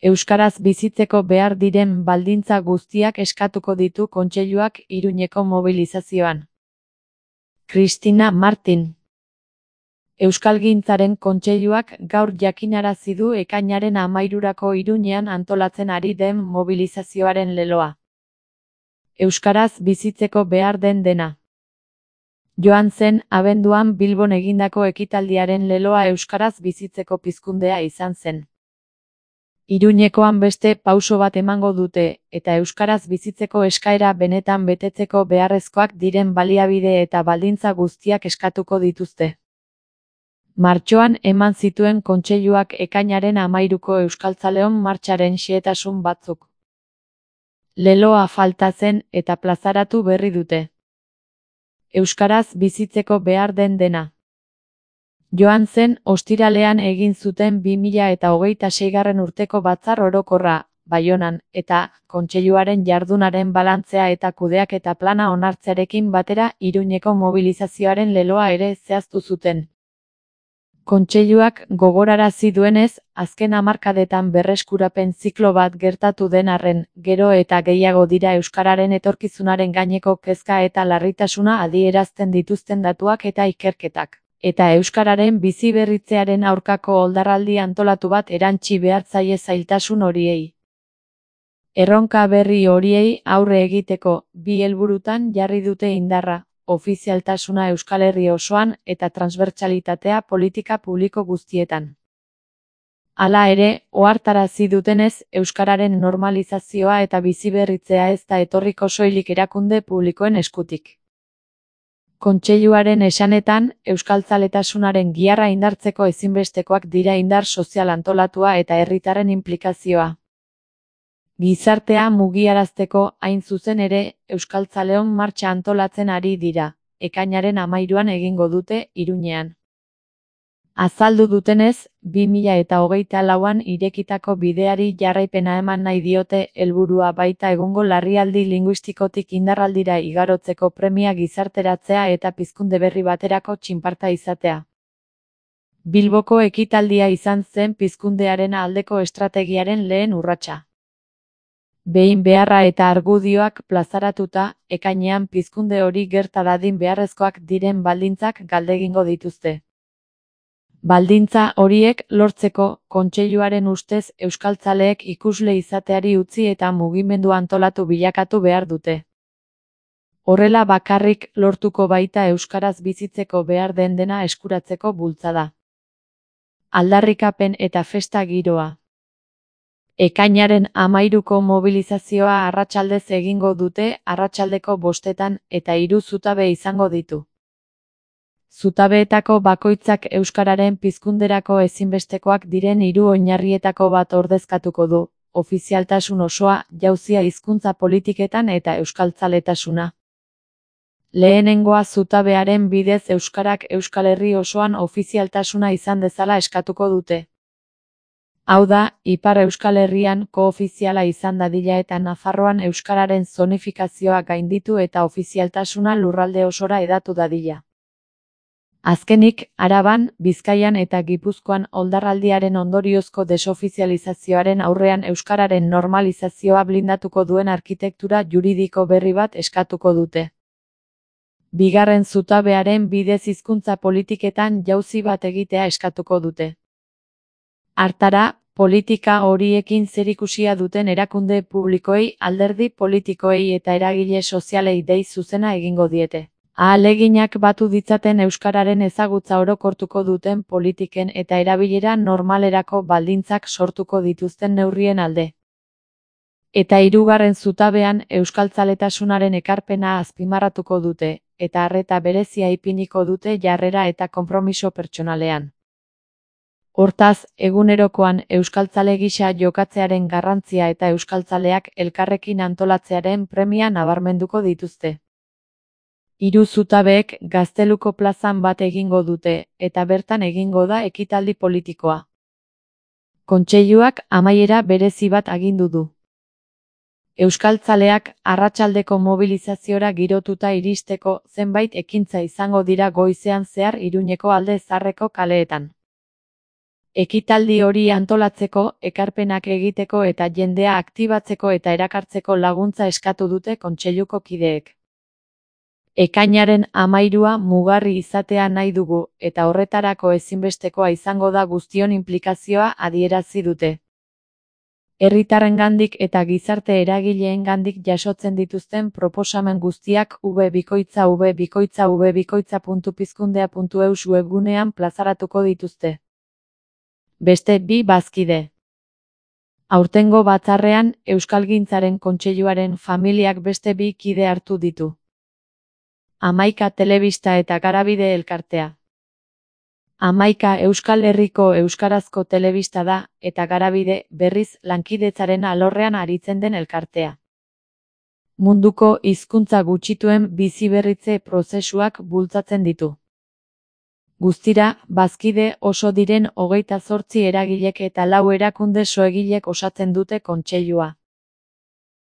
Euskaraz bizitzeko behar diren baldintza guztiak eskatuko ditu kontseiluak Iruñeko mobilizazioan. Cristina Martin. Euskalgintzaren kontseiluak gaur jakinarazi du ekainaren 13rako Iruñean antolatzen ari den mobilizazioaren leloa. Euskaraz bizitzeko behar den dena. Joan zen abenduan Bilbon egindako ekitaldiaren leloa euskaraz bizitzeko pizkundea izan zen. Iruñekoan beste pauso bat emango dute, eta euskaraz bizitzeko eskaera benetan betetzeko beharrezkoak diren baliabide eta baldintza guztiak eskatuko dituzte. Martxoan eman zituen kontseiluak ekainaren 13ko Euskaltzaleon martxaren xehetasun batzuk. Leloa falta zen eta plazaratu berri dute. Euskaraz bizitzeko behar den dena. Joan zen ostiralean egin zuten 2026 urteko batzar orokorra, Baionan, eta kontseiluaren jardunaren balantzea eta kudeaketa plana onartzearekin batera Iruñeko mobilizazioaren leloa ere zehaztu zuten. Kontseiluak gogorarazi duenez, azken hamarkadetan berreskurapen ziklo bat gertatu den arren, gero eta gehiago dira euskararen etorkizunaren gaineko kezka eta larritasuna adierazten dituzten datuak eta ikerketak, eta euskararen biziberritzearen aurkako oldarraldi antolatu bat erantsi behar zaie zailtasun horiei. Erronka berri horiei aurre egiteko, bi helburutan jarri dute indarra. Ofizialtasuna Euskal Herri osoan eta transbertsalitatea politika publiko guztietan. Hala ere, ohartarazi dutenez, euskararen normalizazioa eta biziberritzea ez da etorriko soilik erakunde publikoen eskutik. Kontseiluaren esanetan, euskaltzaletasunaren giharra indartzeko ezinbestekoak dira indar sozial antolatua eta herritarren inplikazioa. Gizartea mugiarazteko hain zuzen ere, Euskaltzaleon martxa antolatzen ari dira, ekainaren 13an egingo dute Iruñean. Azaldu dutenez, 2024an irekitako bideari jarraipena eman nahi diote helburua baita egungo larrialdi linguistikotik indarraldira igarotzeko premia gizarteratzea eta pizkunde berri baterako txinparta izatea. Bilboko ekitaldia izan zen pizkundearen aldeko estrategiaren lehen urratsa. Behin beharra eta argudioak plazaratuta, ekainean pizkunde hori gerta dadin beharrezkoak diren baldintzak galdegingo dituzte. Baldintza horiek lortzeko, kontseiluaren ustez euskaltzaleek ikusle izateari utzi eta mugimendu antolatu bilakatu behar dute. Horrela bakarrik lortuko baita euskaraz bizitzeko behar den dena eskuratzeko bultzada. Aldarrikapen eta festa giroa. Ekainaren 13ko mobilizazioa arratsaldez egingo dute arratsaldeko 5etan eta 3 zutabe izango ditu. Zutabeetako bakoitzak euskararen pizkunderako ezinbestekoak diren 3 oinarrietako bat ordezkatuko du, ofizialtasun osoa, jauzia hizkuntza politiketan eta euskaltzaletasuna. Lehenengoa zutabearen bidez euskarak Euskal Herri osoan ofizialtasuna izan dezala eskatuko dute. Hau da, Ipar Euskal Herrian koofiziala izan dadila eta Nafarroan euskararen zonifikazioa gainditu eta ofizialtasuna lurralde osora hedatu dadila. Azkenik, Araban, Bizkaian eta Gipuzkoan oldarraldiaren ondoriozko desofizializazioaren aurrean euskararen normalizazioa blindatuko duen arkitektura juridiko berri bat eskatuko dute. Bigarren zutabearen bidez hizkuntza politiketan jauzi bat egitea eskatuko dute. Hartara, politika horiekin zerikusia duten erakunde publikoei, alderdi politikoei eta eragile sozialei dei zuzena egingo diete. Ahaleginak batu ditzaten euskararen ezagutza orokortuko duten politiken eta erabilera normalerako baldintzak sortuko dituzten neurrien alde. Eta hirugarren zutabean euskaltzaletasunaren ekarpena azpimarratuko dute, eta arreta berezia ipiniko dute jarrera eta konpromiso pertsonalean. Hortaz, egunerokoan euskaltzale gisa jokatzearen garrantzia eta euskaltzaleak elkarrekin antolatzearen premia nabarmenduko dituzte. 3 zutabeek Gazteluko plazan bat egingo dute, eta bertan egingo da ekitaldi politikoa. Kontseiluak amaiera berezi bat agindu du. Euskaltzaleak arratsaldeko mobilizaziora girotuta iristeko zenbait ekintza izango dira goizean zehar Iruñeko Alde Zaharreko kaleetan. Ekitaldi hori antolatzeko, ekarpenak egiteko eta jendea aktibatzeko eta erakartzeko laguntza eskatu dute kontseiluko kideek. Ekainaren 13 mugarri izatea nahi dugu, eta horretarako ezinbestekoa izango da guztion inplikazioa adierazi dute. Herritarrengandik eta gizarte eragileengandik jasotzen dituzten proposamen guztiak v.v.v.pizkundea.eus webgunean plazaratuko dituzte. Beste 2 bazkide. Aurtengo batzarrean, Euskalgintzaren Kontseiluaren familiak beste 2 kide hartu ditu. Hamaika Telebista eta Garabide elkartea. Hamaika Euskal Herriko euskarazko telebista da, eta Garabide, berriz, lankidetzaren alorrean aritzen den elkartea. Munduko hizkuntza gutxituen biziberritze prozesuak bultzatzen ditu. Guztira, bazkide oso diren 28 eragilek eta 4 erakunde soegilek osatzen dute kontseilua.